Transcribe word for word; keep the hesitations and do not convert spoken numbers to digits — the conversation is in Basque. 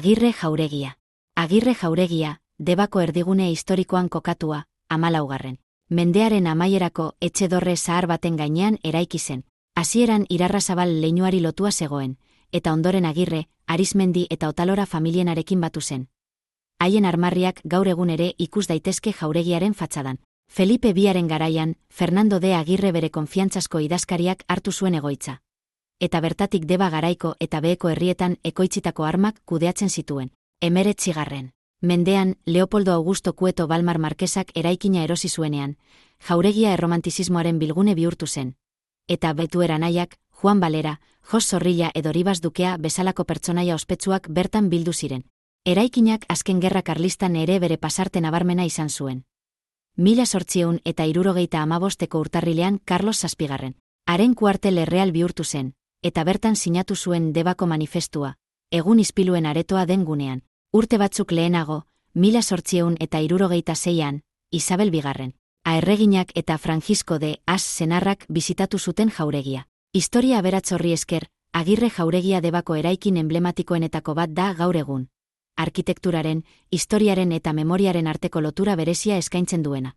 Agirre jauregia. Agirre jauregia, Debako erdigune historikoan kokatua, hamalaugarren mendearen amaierako etxe dorre zahar baten gainean eraiki zen. Hasieran Irarrazabal leinuari lotua zegoen, eta ondoren Agirre, Arizmendi eta Otalora familienarekin batu zen. Haien armarriak gaur egun ere ikus daitezke jauregiaren fatxadan. Felipe bigarren garaian, Fernando de Agirre bere konfiantzazko idazkariak hartu zuen egoitza. Eta bertatik Deba garaiko eta beheko herrietan ekoitzitako armak kudeatzen zituen. Hemeretzigarren mendean, Leopoldo Augusto Cueto Balmar Markesak eraikina erosi zuenean, jauregia erromantizismoaren bilgune bihurtu zen. Eta Betuera anaiak, Juan Valera, Jos Zorrilla edo Ribas Dukea bezalako pertsonaia ospetsuak bertan bildu ziren. Eraikinak azken gerra karlistan ere bere pasarte nabarmena izan zuen. Mila zortziehun eta hirurogeita hamabosteko urtarrilean Carlos Zazpigarren haren kuartel erreal bihurtu zen, eta bertan sinatu zuen Debako manifestua, egun ispiluen aretoa den gunean. Urte batzuk lehenago, mila zortziehun eta hirurogeita seian, Isabel bigarren aerreginak eta Francisco de As senarrak bisitatu zuten jauregia. Historia aberatzorri esker, Agirre jauregia Debako eraikin emblematikoenetako bat da gaur egun. Arkitekturaren, historiaren eta memoriaren arteko lotura berezia eskaintzen duena.